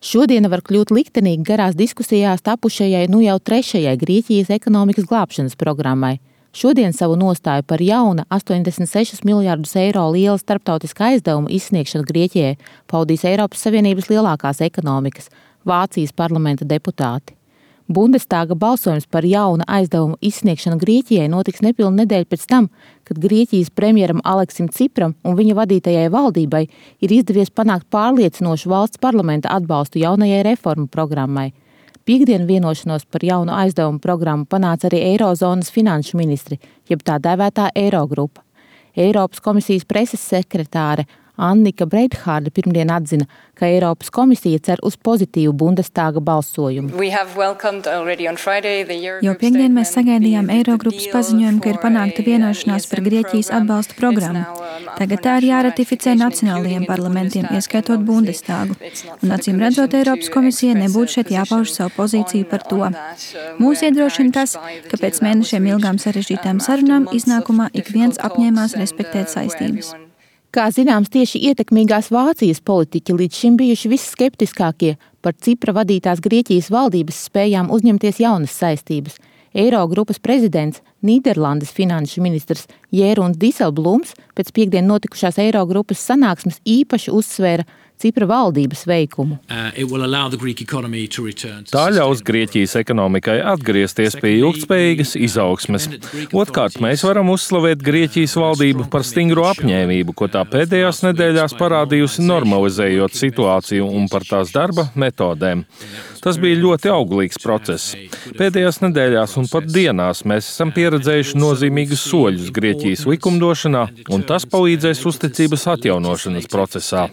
Šodiena var kļūt liktenīgi garās diskusijās tapušajai jau 3. Grieķijas ekonomikas glābšanas programmai. Šodien savu nostāju par jauna 86 miljardus eiro liela starptautiskā aizdevuma izsniegšanu Grieķijai paudīs Eiropas Savienības lielākās ekonomikas – Vācijas parlamenta deputāti. Bundestāga balsojums par jauna aizdevuma izsniegšanu Grieķijai notiks nepilnu nedēļu pēc tam, kad Grieķijas premjeram Aleksim Cipram un viņa vadītajai valdībai ir izdevies panākt pārliecinošu valsts parlamenta atbalstu jaunajai reformu programmai. Piektdien vienošanos par jaunu aizdevumu programmu panāca arī Eirozonas finanšu ministri, jeb tā dēvētā Eirogrupa. Eiropas komisijas preses sekretāre Annika Breithārde pirmdien atzina, ka Eiropas komisija cer uz pozitīvu Bundestāga balsojumu. Jau piektdien mēs sagaidījām Eirogrupas paziņojumu, ka ir panākta vienošanās par Grieķijas atbalsta programmu. Tagad tā ir jāratificē nacionālajiem parlamentiem, ieskaitot Bundestāgu. Un acīm redzot, Eiropas komisija nebūtu šeit jāpauž savu pozīciju par to. Mūs iedrošina tas, ka pēc mēnešiem ilgām sarežģītām sarunām iznākumā ik viens apņēmās respektēt saistības. Kā zināms, tieši ietekmīgās Vācijas politiķi līdz šim bijuši visskeptiskākie par Cipra vadītās Grieķijas valdības spējām uzņemties jaunas saistības. Eirogrupas prezidents, Nīderlandes finanšu ministrs Jēruns Diselblūms pēc piektdien notikušās Eirogrupas sanāksmes īpaši uzsvēra Cipra valdības veikumu. Tā ļaus Grieķijas ekonomikai atgriezties pie ilgtspējīgas izaugsmes. Otkārt, mēs varam uzslavēt Grieķijas valdību par stingru apņēmību, ko tā pēdējās nedēļās parādījusi normalizējot situāciju un par tās darba metodēm. Tas bija ļoti auglīgs process. Pēdējās nedēļās un pat dienās mēs esam pieredzējuši nozīmīgus soļus Grieķijas likumdošanā, un tas palīdzēs uzticības atjaunošanas procesā.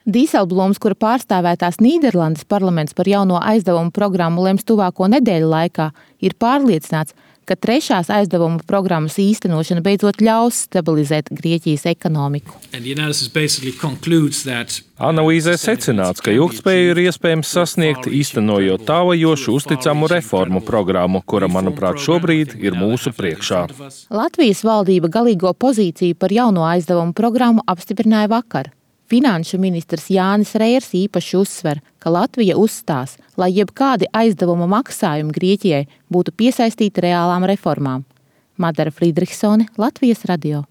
Dīselblūms, kura pārstāvētās Nīderlandes parlaments par jauno aizdevumu programmu lems tuvāko nedēļu laikā, ir pārliecināts, ka 3. aizdevuma programmas īstenošana beidzot ļaus stabilizēt Grieķijas ekonomiku. Analīzē secināts, ka ilgtspēju ir iespējams sasniegt, īstenojot tālajošu uzticamu reformu programmu, kura, manuprāt, šobrīd ir mūsu priekšā. Latvijas valdība galīgo pozīciju par jauno aizdevumu programmu apstiprināja vakar. Finanšu ministrs Jānis Reiers īpaši uzsver, ka Latvija uzstās, lai jebkādi aizdevuma maksājumi Grieķijai būtu piesaistīti reālām reformām. Madara Friedrichsone, Latvijas radio.